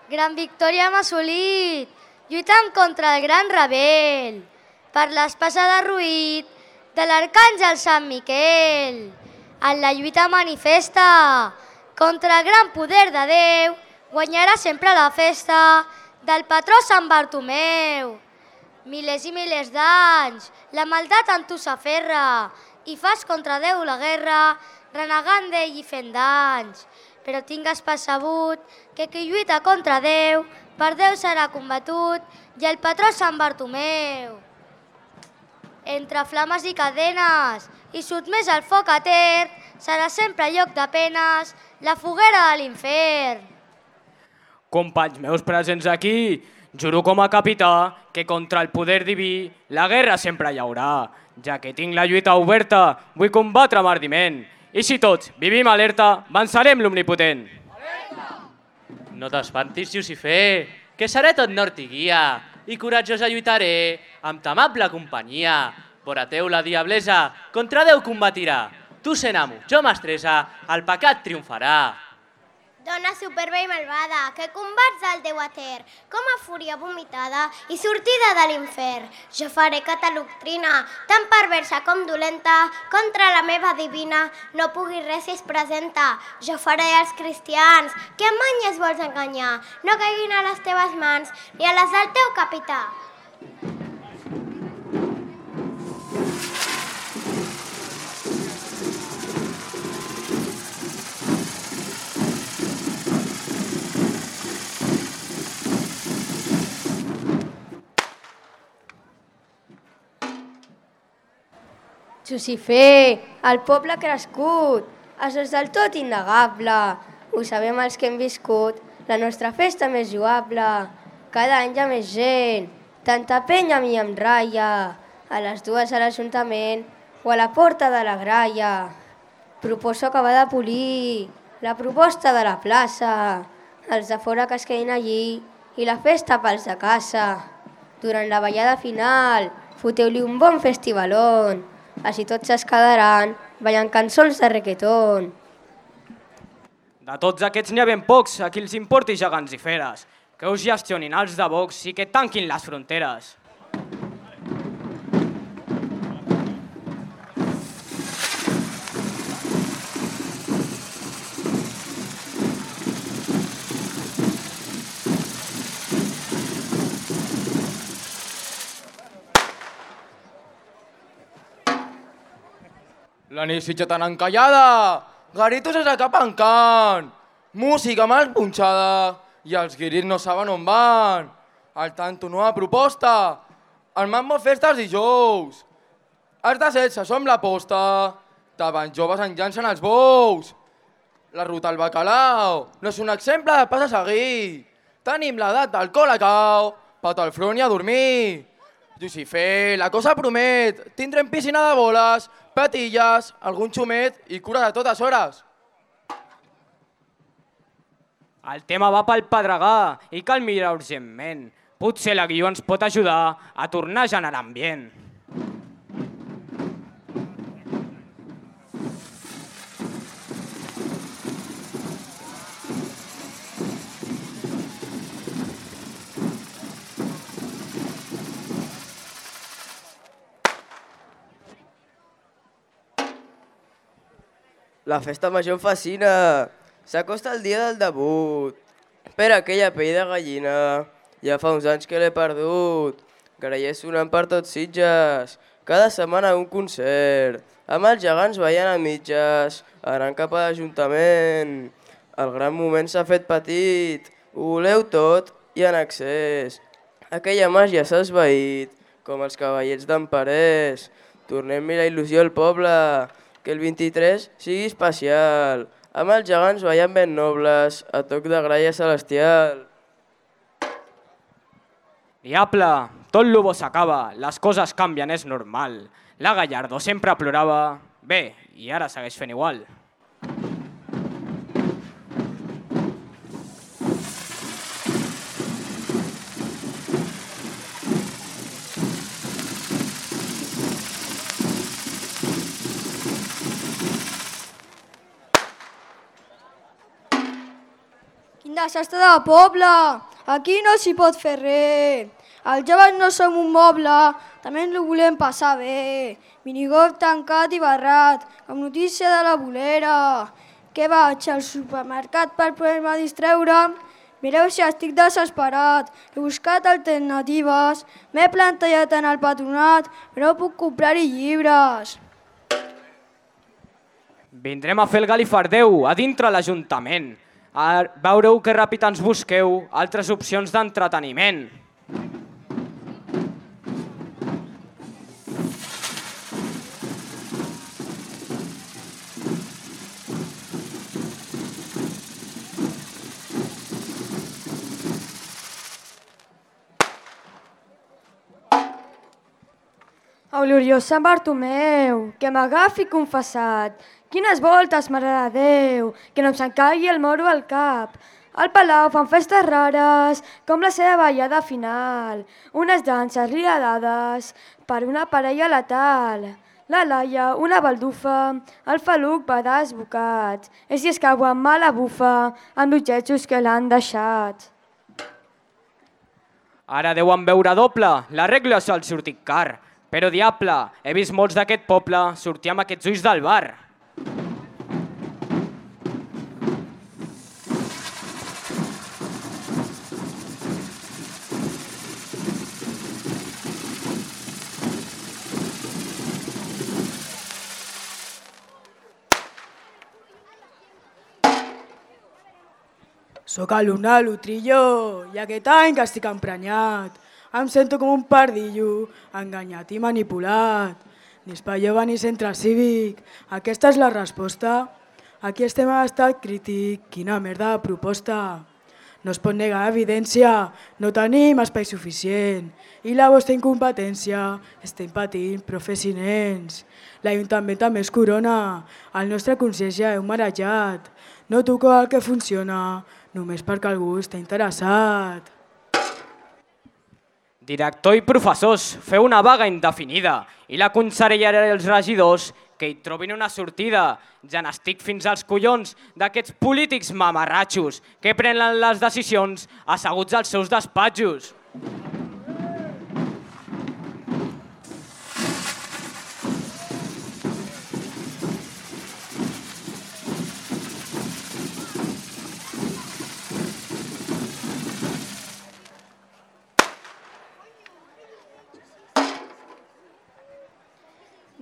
Gran victòria hem assolit, lluitant contra el gran rebel, per l'espasa de Ruït de l'arcàngel Sant Miquel. En la lluita manifesta contra el gran poder de Déu, guanyarà sempre la festa del patró Sant Bartomeu. Milers i milers d'anys, la maldat en tu s'aferra i fas contra Déu la guerra, renegant d'ell i fent danys. Però tingues percebut que qui lluita contra Déu, per Déu serà combatut i el patró Sant Bartomeu. Entre flames i cadenes i sotmès al foc etern, serà sempre lloc de penes la foguera de l'infern. Companys meus presents aquí, juro com a capità que contra el poder diví la guerra sempre hi haurà. Ja que tinc la lluita oberta, vull combatre amb ardiment. I si tots vivim alerta, vencerem l'omnipotent. No t'espantis, Llucifer, que seré tot nord i guia, i coratjosa lluitaré amb ta amable companyia. Vora teu la diablesa contra Déu combatirà. Tu sent amo, jo mestressa, el pecat triomfarà. Dona superba i malvada, que combats el Déu eter, com a fúria vomitada i sortida de l'infern. Jo faré que ta doctrina, tan perversa com dolenta, contra la meva divina, no pugui res si es presenta. Jo faré als cristians, que amb manyes vols enganyar, no caiguin a les teves mans, ni a les del teu capità. Llucifer, el poble ha crescut, això és del tot innegable. Ho sabem els que hem viscut, la nostra festa més lloable. Cada any hi ha més gent, tanta penya a mi em ratlla, a les 2 a l'Ajuntament o a la porta de la Graia. Proposo acabar de polir la proposta de la plaça, els de fora que es quedin allí i la festa pels de casa. Durant la ballada final, foteu-li un bon festivalón. Així tots es quedaran ballant cançons de reggaeton. De tots aquests n'hi ha ben pocs a qui els importi gegants i feres, que us gestionin els de Vox i que tanquin les fronteres. La nit sitja tan encallada, garitos es acapancant, música mal punxada i els guiris no saben on van. Al tanto nova proposta, el mambo festa els dijous. Els de 16 som la posta, davant joves en llancen els bous. La ruta al bacalao no és un exemple de pas a seguir. Tenim l'edat del colacao, pat al front i a dormir. Llucifer, la cosa promet, tindrem piscina de boles, patilles, algun xumet i cures a totes hores. El tema va pel pedregar i cal mirar urgentment. Potser la guió ens pot ajudar a tornar a generar ambient. La festa major em fascina. S'acosta el dia del debut. Per aquella pell de gallina. Ja fa uns anys que l'he perdut. Grallers sonant per tots Sitges. Cada setmana un concert. Amb els gegants ballant a mitges. Anant cap a l'Ajuntament. El gran moment s'ha fet petit. Ho voleu tot i en excés. Aquella màgia s'ha esvaït. Com els cavallets d'en Parés. Tornem-hi la il·lusió al poble. Que el 23 sigui especial, amb els gegants ballant ben nobles, a toc de graia celestial. Diable, tot lo bo s'acaba, les coses canvien, és normal. La Gallardo sempre plorava, bé, i ara segueix fent igual. Quin desastre de poble. Aquí no s'hi pot fer res. Els joves no som un moble, també ens ho volem passar bé. Minigolf tancat i barrat, com notícia de la bolera. Que vaig al supermercat per poder-me distreure? Mireu si estic desesperat. He buscat alternatives, m'he plantellat en el patronat, però no puc comprar-hi llibres. Vindrem a fer el galifardeu a dintre l'Ajuntament. Veureu que ràpid ens busqueu altres opcions d'entreteniment. A gloriós Sant Bartomeu, que m'agafi confessat. Quines voltes, Mare de Déu, que no em s'encagui el moro al cap. Al Palau fan festes rares, com la seva ballada final. Unes danses riadades per una parella letal. La Laia, una baldufa, el Faluc va desbocat. I si es cau amb mala bufa, amb l'objectos que l'han deixat. Ara deuen veure doble, l'arreglo sol sortir car. Però diable, he vist molts d'aquest poble sortir amb aquests ulls del bar. Soc alumne de l'Utrillo i aquest any que estic emprenyat. Em sento com un pardillo, enganyat i manipulat. Ni espai jove ni centre cívic. Aquesta és la resposta. Aquí estem a l'estat crític. Quina merda de proposta. No es pot negar evidència. No tenim espai suficient. I la vostra incompetència. Estem patint professionals. L'Ajuntament també es corona. El nostre consell ja heu marejat. No toco el que funciona, només perquè algú està interessat. Director i professors, feu una vaga indefinida i la conselleria i els regidors que hi trobin una sortida. Ja n'estic fins als collons d'aquests polítics mamarratxos que prenen les decisions asseguts als seus despatxos.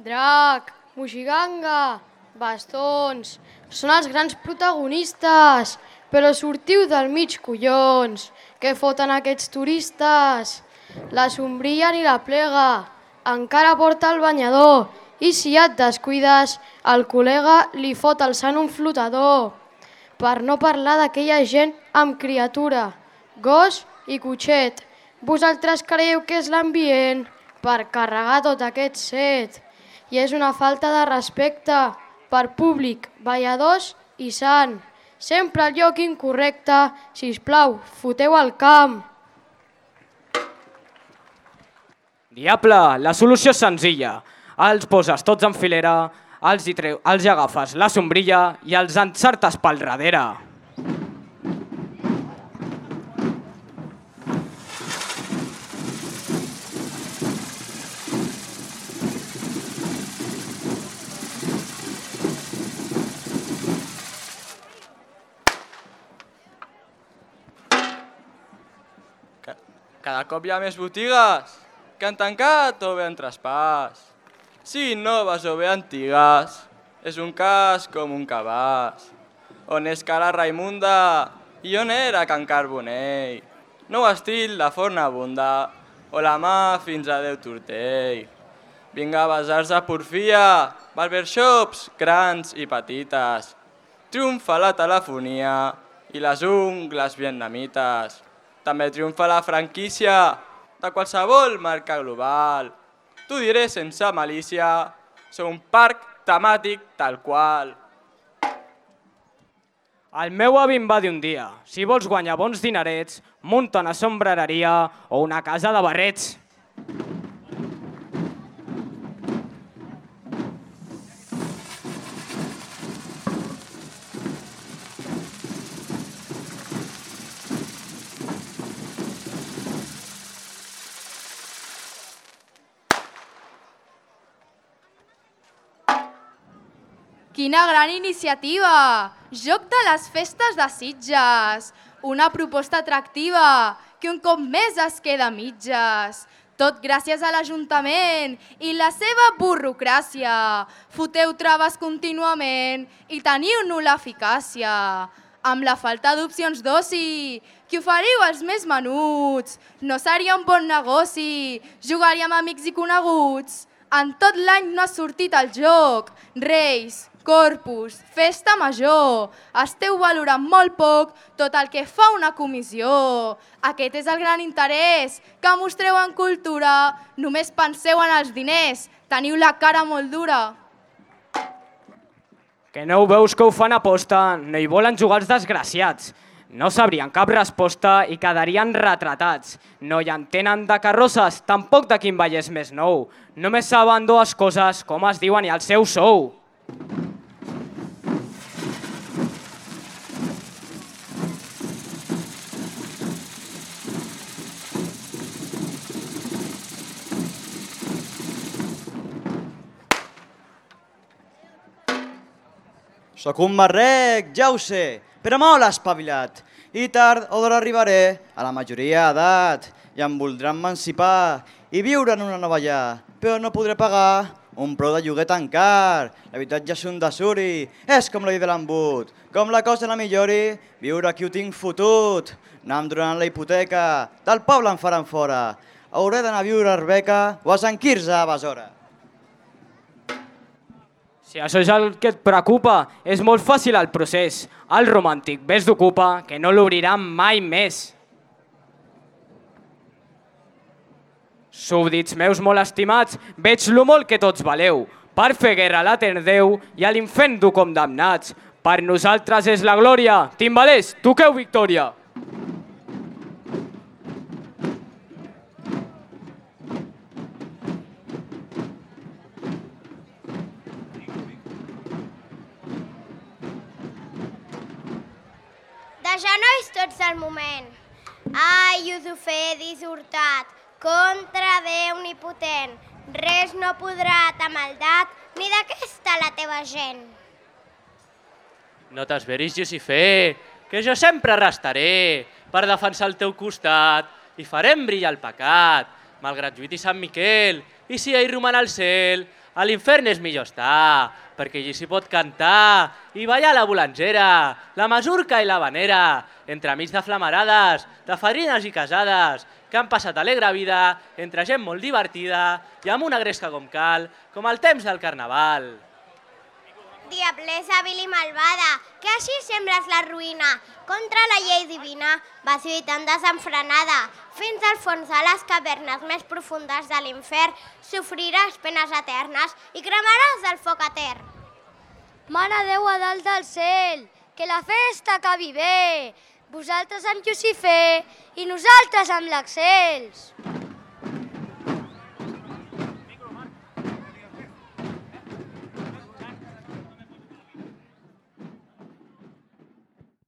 Drac, moixiganga, bastons, són els grans protagonistes, però sortiu del mig, collons. Què foten aquests turistes? La sombrilla ni la plega, encara porta el banyador, i si et descuides, el col·lega li fot el sant un flotador. Per no parlar d'aquella gent amb criatura, gos i cotxet. Vosaltres creieu que és l'ambient per carregar tot aquest set. I és una falta de respecte per públic, balladors i sant. Sempre al lloc incorrecte, sisplau, foteu al camp. Diable, la solució és senzilla. Els poses tots en filera, els agafes la sombrilla i els encertes pel darrere. Cada cop hi ha més botigues que han tancat o bé han traspàs. Sí, noves o bé antigues, és un cas com un cabàs. On és cara Raimunda i on era Can Carbonell? Nou estil de forna abunda o la mà fins a Déu Tortell. Vinga, basars de porfia, barbershops grans i petites. Triomfa la telefonia i les ungles vietnamites. També triomfa la franquícia de qualsevol marca global. T'ho diré sense malícia, sou un parc temàtic tal qual. El meu avi em va dir un dia, si vols guanyar bons dinerets, munta una sombrereria o una casa de barrets. Quina gran iniciativa! Joc de les festes de Sitges. Una proposta atractiva que un cop més es queda a mitges. Tot gràcies a l'Ajuntament i la seva burocràcia. Foteu traves contínuament i teniu nul·la eficàcia. Amb la falta d'opcions d'oci, que oferiu als més menuts. No seria un bon negoci, jugaríem amics i coneguts. En tot l'any no ha sortit el joc. Reis, Corpus, festa major. Esteu valorant molt poc tot el que fa una comissió. Aquest és el gran interès que mostreu en cultura. Només penseu en els diners. Teniu la cara molt dura. Que no ho veus que ho fan a posta? No hi volen jugar els desgraciats. No sabrien cap resposta i quedarien retratats. No hi entenen de carrosses, tampoc de quin ball és més nou. Només saben dues coses, com es diuen i el seu sou. Soc un marrec, ja ho sé, però molt espavilat. I tard o d'hora arribaré a la majoria d'edat i em voldran emancipar i viure en una nova llar, però no podré pagar un preu de lloguer tan car. L'habitatge és un desuri, és com la llei de l'embut. Com la cosa no millori, viure aquí ho tinc fotut. No em donaran la hipoteca, del poble em faran fora. Hauré d'anar a viure a Arbeca o a Sant Quirze a Besora. Si això és el que et preocupa, és molt fàcil el procés. El romàntic ves d'ocupa, que no l'obriran mai més. Súbdits meus molt estimats, veig lo molt que tots valeu. Per fer guerra a l'etern Déu i a l'infern dur condemnats. Per nosaltres és la glòria. Timbalers, toqueu victòria. De genolls tots al moment. Ai, usufer dissortat, contra Déu omnipotent, res no podrà ta maldat ni d'aquesta la teva gent. No t'esveris, Jucifer, que jo sempre restaré per defensar el teu costat i farem brillar el pecat, malgrat lluiti Sant Miquel, i si ell roman al cel, a l'infern és millor estar, perquè allí s'hi pot cantar i ballar la bolangera, la masurca i la vanera, entremig de flamarades, de fadrines i casades, que han passat alegre vida entre gent molt divertida i amb una gresca com cal, com el temps del carnaval. Diablesa vil i malvada, que així sembles la ruïna. Contra la llei divina vas lluitant desenfrenada. Fins al fons de les cavernes més profundes de l'infern sofriràs penes eternes i cremaràs del foc etern. Mana Déu a dalt del cel, que la festa acabi bé. Vosaltres amb Jucifer i nosaltres amb l'Axels.